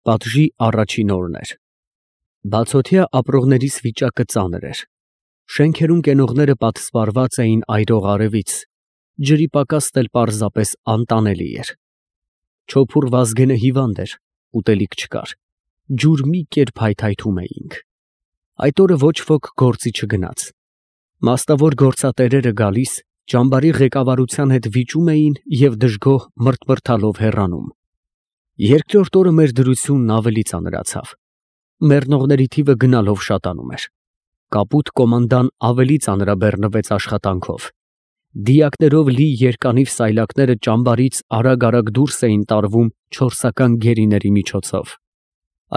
Պատժի առաջին օրն էր։ Բացօթյա ապրողներիս վիճակը ծանր էր։ Շենքերում կենողները պատսպարված էին այրող արևից, ջրի պակասն էլ պարզապես անտանելի էր։ Չոփուռ Վազգենը հիվանդ էր, ուտելիք չկար, ջուր մի կերպ հայթայթում էինք։ Այդ օրը ոչ ոք գործի չգնաց։ Մասնավոր գործատերերը գալիս, ճամբարի ղեկավարության հետ վիճում էին և դժգոհ մրթմրթալով հեռանում։ Երկրորդ օրը մեր դրությունն ավելի ծանրացավ։ Մեռնողների թիվը գնալով շատանում էր։ Կապույտ կոմանդան ավելի ծանրաբեռնվեց աշխատանքով։ Դիակներով լի երկանիվ սայլակները ճամբարից արագ դուրս էին տարվում չորսական գերիների միջոցով։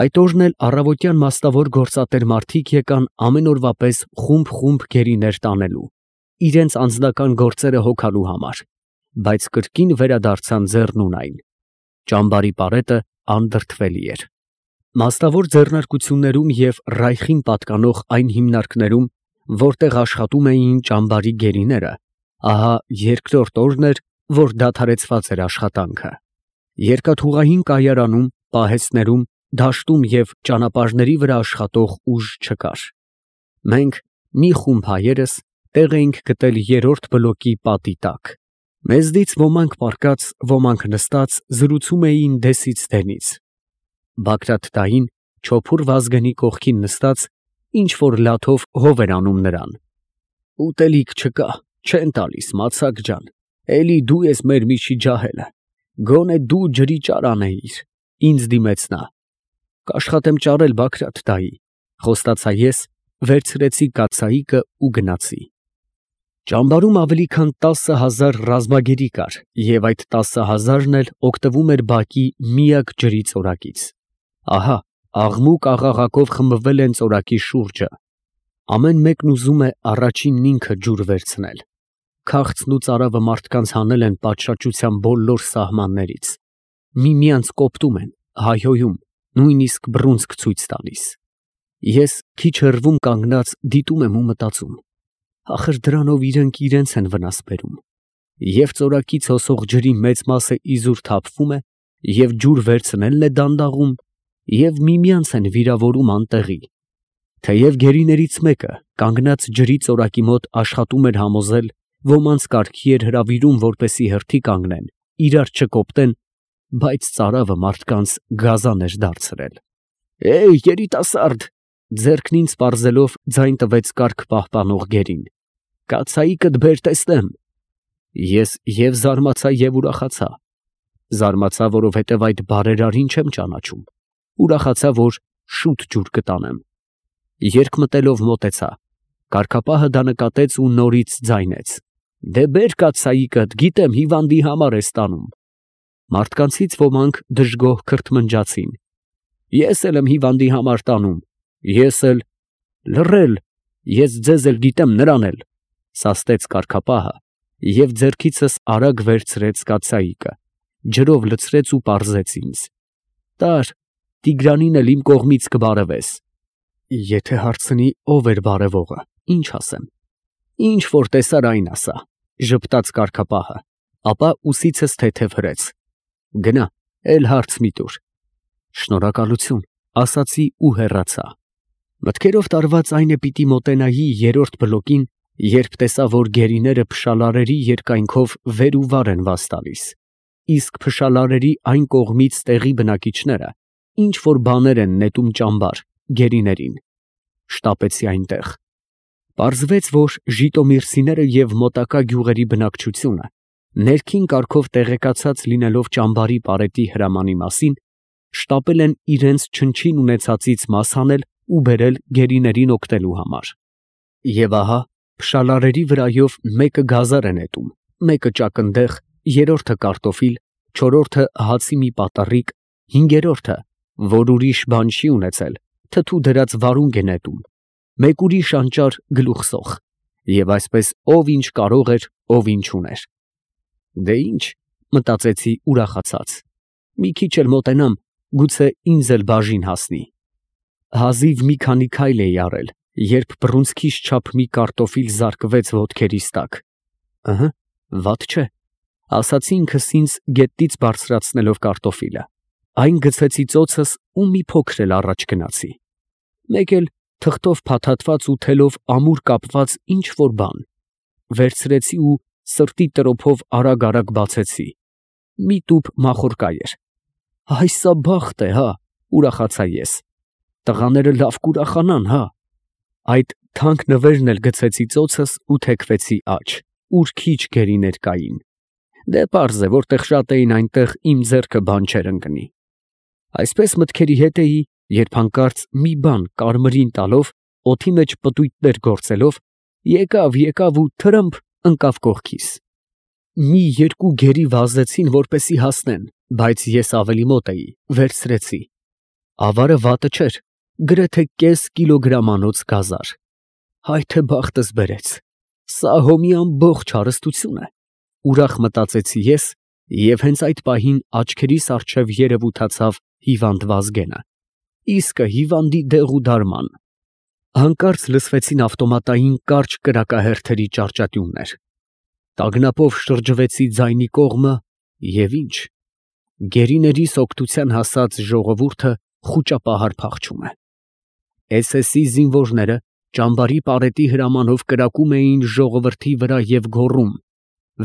Այդ օրն էլ առավոտյան մասնավոր գործատեր մարդիկ եկան ամեն օրվա պես խումբ գերիներ տանելու, իրենց անձնական գործերը հոգալու համար, բայց կրկին վերադարձան ձեռնունայն։ Ճամբարի պարետը անդրդվելի էր։ Մասնավոր ձեռնարկություններում և Ռայխին պատկանող այն հիմնարկներում, որտեղ աշխատում էին ճամբարի գերիները, ահա երկրորդ օրն էր, որ դադարեցված էր աշխատանքը։ Երկաթուղային կայարանում, պահեստներում, դաշտում և ճանապարհների վրա աշխատող ուժ չկար։ Մենք, մի խումբ հայերս, տեղ էինք գտել երրորդ բլոկի պատի տակ։ Մեզնից ոմանք պառկած, ոմանք նստած զրուցում էին դեսից դենից։ Բագրատ չոփուռ Վազգենի կողքին նստած, ինչ֊որ լաթով հով էր անում նրան։ Ուտելիք չկա, չեն տալիս, Մացակ ջան, էլի դու ես մեր միջի ջահելը, գոնե դու ջրի ճար անեիր, ինձ դիմեց նա։ Կաշխատեմ ճարել, Բագրատ դայի, խոստացա ես, վերցրեցի կաթսայիկը ու գնացի։ Ճամբարում ավելի քան 10,000 ռազմագերի կար, և այդ 10,000-ն էլ օգտվում էր բակի միակ ջրի ծորակից։ Ահա, աղմուկ-աղաղակով խմբվել են ծորակի շուրջը։ Ամեն մեկն ուզում է առաջինն ինքը ջուր վերցնել։ Քաղցն ու ծարավը մարդկանց հանել են պատշաճության բոլոր սահմաններից։ Միմյանց կոպտում են, հայհոյում, նույնիսկ բռունցք ցույց տալիս։ Ես քիչ հեռվում կանգնած դիտում եմ ու մտածում. ախր դրանով իրենք իրենց են վնաս բերում։ Եվ ծորակից հոսող ջրի մեծ մասը իզուր թափվում է, և ջուր վերցնելն է դանդաղում, և միմյանց են վիրավորում անտեղի։ Թեև գերիներից մեկը, կանգնած ջրի ծորակի մոտ աշխատում էր համոզել, ոմանց կարգի էր հրավիրում, որպեսզի հերթի կանգնեն, իրար չկոպտեն, բայց ծարավը մարդկանց գազան էր դարձրել։ երիտասարդ, ձեռքն ինձ պարզելով ձայն տվեց կարգ պահպանող գերին, կաթսայիկդ բեր տեսնեմ։ Ես և զարմացա, և ուրախացա։ Զարմացա, որովհետև այդ բարերարին չեմ ճանաչում, ուրախացա, որ շուտ ջուր կտանեմ։ Երկմտելով մոտեցա, կարգապահը դա նկատեց ու նորից ձայնեց. դե բեր կաթսայիկդ, գիտեմ հիվանդի համար ես տանում։ Մարդկանցից ոմանք դժգոհ քրթմնջացին։ Ես էլ եմ հիվանդի համար տանում, ես էլ… լռել, ես ձեզ էլ գիտեմ, նրան էլ, սաստեց կարգապահը և ձեռքիցս արագ վերցրեց կաթսայիկը, ջրով լցրեց ու պարզեց ինձ. տար, Տիգրանին էլ իմ կողմից կբարևես։ Եթե հարցնի ով էր բարևողը, ինչ ասեմ։ Ինչ որ տեսար այն ասա, ժպտաց կարգապահը, ապա ուսիցս թեթև հրեց. գնա, էլ հարց մի տուր։ Շնորհակալություն, ասացի ու հեռացա։ Մտքերով տարված այն է պիտի մոտենայի երրորդ բլոկին, երբ տեսա, որ գերիները փշալարերի երկայնքով վեր ու վար են վազ տալիս, իսկ փշալարերի այն կողմից տեղի բնակիչները ինչ որ բաներ են նետում ճամբար, գերիներին։ Շտապեցի այնտեղ։ Պարզվեց, որ Ժիտոմիրցիները և մոտակա գյուղերի բնակչությունը, ներքին կարգով տեղեկացած լինելով ճամբարի պարետի հրամանի մասին, շտապել են իրենց չնչին ունեցածից մաս հանել ու բերել գերիներին օգնելու համար։ Եվ ահա, փշալարերի վրայով մեկը գազար է նետում, մեկը ճակնդեղ, երրորդը կարտոֆիլ, չորրորդը հացի մի պատառիկ, հինգերորդը, որ ուրիշ բան չի ունեցել, թթու դրած վարունգ է նետում, մեկ ուրիշ անճար գլուխսող, և այսպես ով ինչ կարող էր, ով ինչ ուներ։ Դե ինչ, մտածեցի ուրախացած, մի քիչ էլ մոտենամ, գուցե ինձ էլ բաժին հասնի։ Հազիվ մի քանի քայլ էի արել, երբ բռունցքիս չափ մի կարտոֆիլ զարկվեց ոտքերիս տակ։ Վատ չէ, ասացի ինքս ինձ գետնից բարձրացնելով կարտոֆիլը, Այն գցեցի ծոցս ու մի փոքր էլ առաջ գնացի։ Մեկ էլ թղթով փաթաթված ու թելով ամուր կապված ինչ որ բան։ Վերցրեցի ու սրտի տրոփով արագ բացեցի։ Մի տուփ մախորկա էր։ Այս սա բախտ է, հա, ուրախացա ես։ Տղաները լավ կուրախանան, հա։ Այդ թանկ նվերն էլ գցեցի ծոցս ու թեքվեցի աջ, ուր քիչ գերիներ կային։ Դե պարզ է, որտեղ շատ էին, այնտեղ իմ ձեռքը բան չէր ընկնի։ Այսպես մտքերի հետ էի, երբ հանկարծ մի բան կարմրին տալով, օդի մեջ պտույտներ գործելով, եկավ ու թրմփ ընկավ կողքիս։ Մի երկու գերի վազեցին, որպեսի հասնեն, բայց ես ավելի մոտ էի, վերցրեցի։ Ավարը վատը չէր, գրեթե կես կիլոգրամանոց գազար։ Հայ թե բախտս բերեց։ Սա հո մի ամբողջ հարստություն է։ Ուրախ մտածեցի ես, և հենց այդ պահին աչքերիս առջև երևութացավ հիվանդ Վազգենը։ Իսկը հիվանդի դեղ ու դարման։ Հանկարծ լսվեցին ավտոմատային կարճ կրակահերթերի ճարճատյուններ։ Տագնապով շրջվեցի ձայնի կողմը և ինչ։ Գերիներիս օգնության հասած ժողովուրդը խուճապահար փախչում է։ SS-ի զինվորները ճամբարի պարետի հրամանով կրակում էին ժողովրդի վրա և գոռում.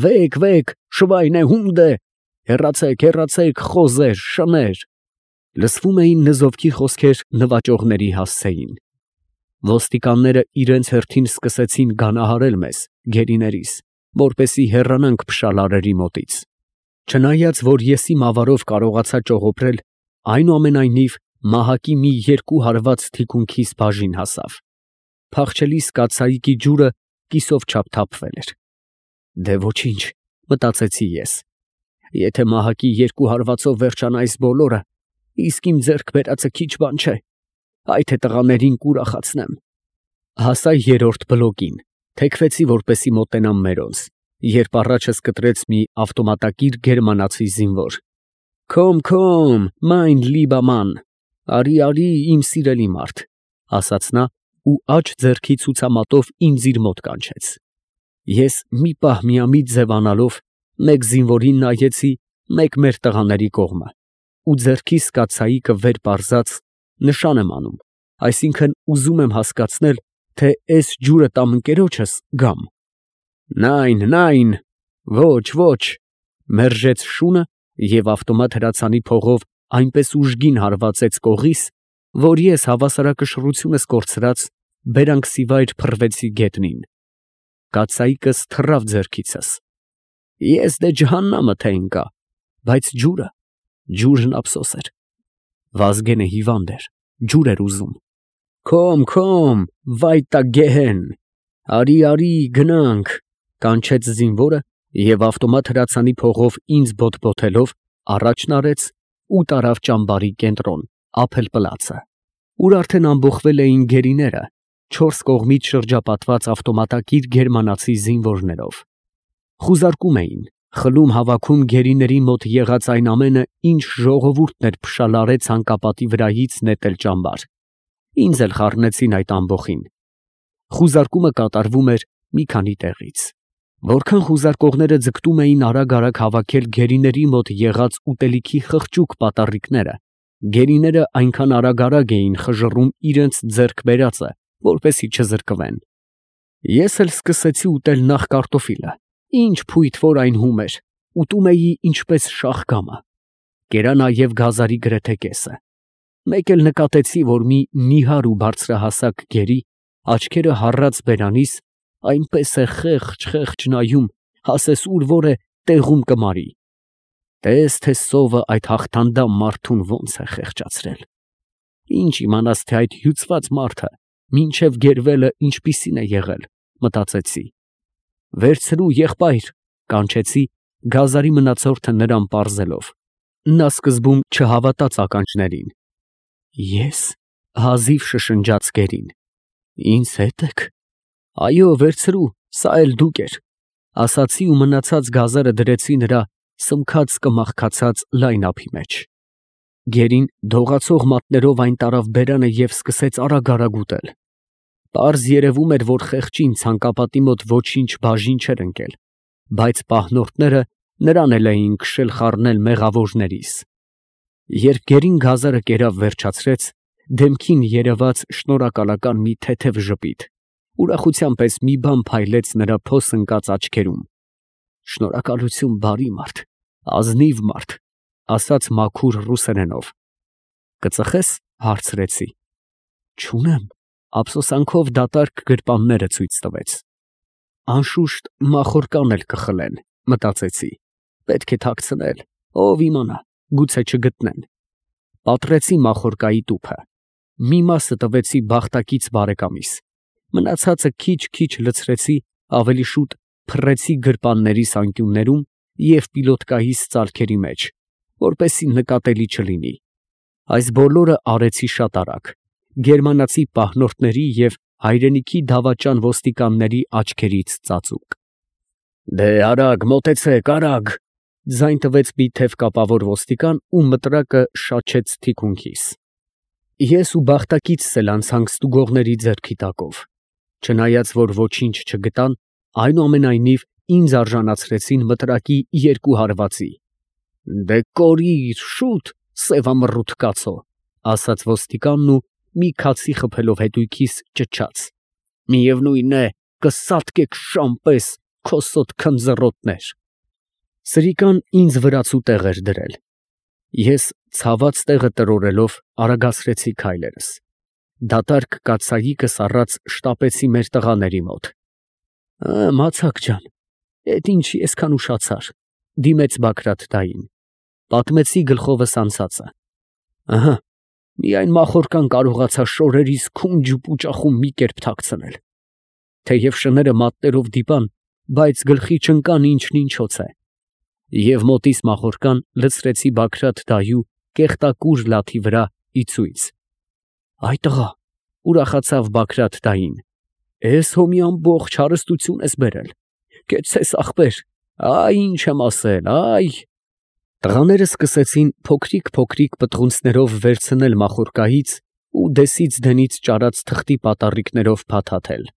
«Վեկ, վեկ, շվայնե հունդե, հեռացեք, խոզեր, շներ»։ Լսվում էին նզովքի խոսքեր նվաճողների հասցեին։ Ոստիկանները իրենց հերթին սկսեցին գանահարել մեզ, գերիներիս, որպեսզի հեռանանք փշալարերի մոտից։ Չնայած որ ես իմ ավարով կարողացա ճողոպրել, այնուամենայնիվ մահակի մի երկու հարված թիկունքիս բաժին հասավ։ Փախչելիս կաթսայիկի ջուրը կիսով չափ թափվել էր։ Դե ոչինչ, մտածեցի ես։ Եթե մահակի երկու հարվածով վերջանա այս բոլորը, իսկ իմ ձեռք բերածը քիչ բան չէ, այ թե տղաներին կուրախացնեմ։ Հասա երրորդ բլոկին, թեքվեցի, որպեսի մոտենամ մերոնց, երբ առաջս կտրեց մի ավտոմատակիր գերմանացի զինվոր։ Քոմ, մայն լիբա ման, արի, իմ սիրելի մարդ, ասաց նա ու աջ ձեռքի ցուցամատով ինձ իր մոտ կանչեց։ Ես մի պահ միամիտ ձևանալով մեկ զինվորին նայեցի, մեկ մեր տղաների կողմը, ու ձեռքիս կաթսայիկը վեր պարզած նշան եմ անում, այսինքն ուզում եմ հասկացնել, թե էս ջուրը տամ ընկերոջս գամ։ Նայն, ոչ, մերժեց շունը և ավտոմատ հրացանի փողով այնպես ուժգին հարվածեց կողիս, որ ես հավասարակշռությունս կորցրած բերանքսիվայր փռվեցի գետնին։ Կաթսայիկս թռավ ձեռքիցս։ Ես դե ջհաննամը թե ընկա, բայց ջուրն ափսոս էր։ Վազգենը հիվանդ էր, ջուր էր ուզում։ Քոմ, վայտա գեհեն, արի, գնանք, կանչեց զինվորը և ավտոմատ հրացանի փողով ինձ բոթբոթելով առաջն արեց ու տարավ ճամբարի կենտրոն, ափել֊պլացը, ուր արդեն ամբոխվել էին գերիները, չորս կողմից շրջապատված ավտոմատակիր գերմանացի զինվորներով։ Խուզարկում էին, խլում հավաքում գերիների մոտ եղած այն ամենը, ինչ ժողովուրդն էր փշալարե ցանկապատի վրայից նետել ճամբար։ Ինձ էլ խառնեցին այդ ամբոխին։ Խուզարկումը կատարվում էր մի քանի տեղից։ Որքան խուզարկողները ձգտում էին արագ հավաքել գերիների մոտ եղած ուտելիքի խղճուկ պատառիկները, գերիները այնքան արագ էին խժռում իրենց ձեռք բերածը, որպեսզի չզրկվեն։ Ես էլ սկսեցի ուտել նախ կարտոֆիլը, ինչ փույթ որ այն հում էր, ուտում էի ինչպես շաղկամը։ Կերա նաև գազարի գրեթե կեսը։ Մեկ էլ նկատեցի, որ մի նիհար ու բարձրահասակ գերի, աչքերը հառած բերանիս, այնպես է խեղճ նայում, ասես ուր որ է տեղում կմարի։ Տես թե սովը այդ հաղթանդամ մարդուն ոնց է խեղճացրել։ Ինչ իմանաս, թե այդ հյուծված մարդը մինչև գերվելը ինչպիսին է եղել, մտածեցի։ Վերցրու, եղբայր, կանչեցի, գազարի մնացորդը նրան պարզելով։ Նա սկզբում չհավատաց ականջներին։ Ես, հազիվ շշնջաց գերին։ Ինձ հետ եք։ Այո, վերցրու, սա էլ դուք էր, ասացի ու մնացած գազարը դրեցի նրա սմքած կմախքացած լայն ափի մեջ։ Գերին դողացող մատներով այն տարավ բերանը և սկսեց արագ ուտել։ Պարզ երևում էր, որ խեղճին ցանկապատի մոտ ոչինչ բաժին չէր ընկել, բայց պահնորդները նրան էլ էին քշել խառնել մեղավորներիս։ Երբ գերին գազարը կերավ վերջացրեց, դեմքին երևաց շնորհակալական մի թեթև ժպիտ, ուրախության պես մի բան փայլեց նրա փոս ընկած աչքերում։ Շնորհակալություն, բարի մարդ, ազնիվ մարդ, ասաց մաքուր ռուսերենով։ Կծխես, հարցրեցի։ Չունեմ, ափսոսանքով դատարկ գրպանները ցույց տվեց։ Անշուշտ մախորկան էլ կխլեն, մտածեցի։ Պետք է թաքցնել, ով իմանա, գուցե չգտնեն։ Պատռեցի մախորկայի տուփը։ Մի մասը տվեցի բախտակից բարեկամիս, մնացածը քիչ-քիչ լցրեցի, ավելի շուտ փռեցի գրպաններիս անկյուններում և պիլոտկայիս ծալքերի մեջ, որպեսզի նկատելի չլինի։ Այս բոլորը արեցի շատ արագ, գերմանացի պահնորդների և հայրենիքի դավաճան ոստիկանների աչքերից ծածուկ։ Դե արագ, մոտեցեք, արագ, ձայն տվեց մի թև կապավոր ոստիկան ու մտրակը շաչեց թիկունքիս։ Ես ու բախտակիցս էլ անցանք ստուգողների ձեռքի տակով, չնայած որ ոչինչ չգտան, այնուամենայնիվ ինձ արժանացրեցին մտրակի 2 հարվածի։ Դե կորիր, շուտ, սևամռութ կացո, ասաց ոստիկանն ու մի քացի խփելով հետույքիս ճչաց. միևնույն է, կսատկեք շան պես, քոսոտ քնձռոտներ։ Սրիկան ինձ վրացու տեղ էր դրել։ Ես ցաված տեղը տրորելով արագացրեցի քայլերս։ Դատարկ կաթսայիկս առած շտապեցի մեր տղաների մոտ։ Մացակ ջան, էդ ինչ այսքան ուշացար, դիմեց Բագրատ դային։ Պատմեցի գլխովս անցածը։ Ահա, միայն մախորկան կարողացա շորերիս քունջ ու պուճախում մի կերպ թաքցնել։ Թեև շները մատներով դիպան, բայց գլխի չընկան ինչն ինչոց է։ Եվ մոտիս մախորկան լցրեցի Բագրատ դայու կեղտակուր լաթի վրա ի ցույց։ Այ տղա, ուրախացավ Բագրատ դային, էս հո մի ամբողջ հարստություն ես բերել, կեցցես ախպեր, այ ինչ եմ ասել, այ։ Տղաները սկսեցին փոքրիկ պտղունցներով վերցնել մախորկայից ու դեսից դենից ճարած թղթի պատառիկներով փաթաթել։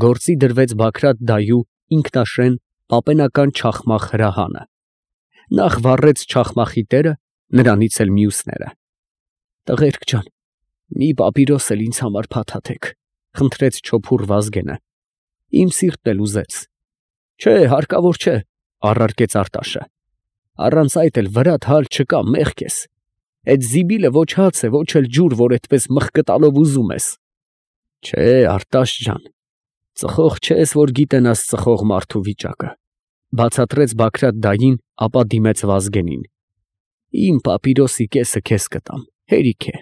Գործի դրվեց Բագրատ դայու ինքնաշեն պապենական չախմախ հրահանը։ Նախ վառեց չախմախի տերը, նրանից էլ մյուսները։ Տղերք ջան, մի պապիրոս էլ ինձ համար փաթաթեք, խնդրեց չոփուռ Վազգենը։ Իմ սիրտն էլ ուզեց։ Չէ, հարկավոր չէ, առարկեց Արտաշը։ Առանց այդ էլ վրատ հալ չկա, մեղք ես։ Այդ զիբիլը ոչ հաց է, ոչ էլ ջուր, որ այդպես մխկտալով ուզում ես։ Չէ, Արտաշ ջան, ծխող չես, որ գիտենաս ծխող մարդու վիճակը, բացատրեց Բագրատ դային, ապա դիմեց Վազգենին։ Իմ պապիրոսի կեսը քեզ կտամ, հերիք է։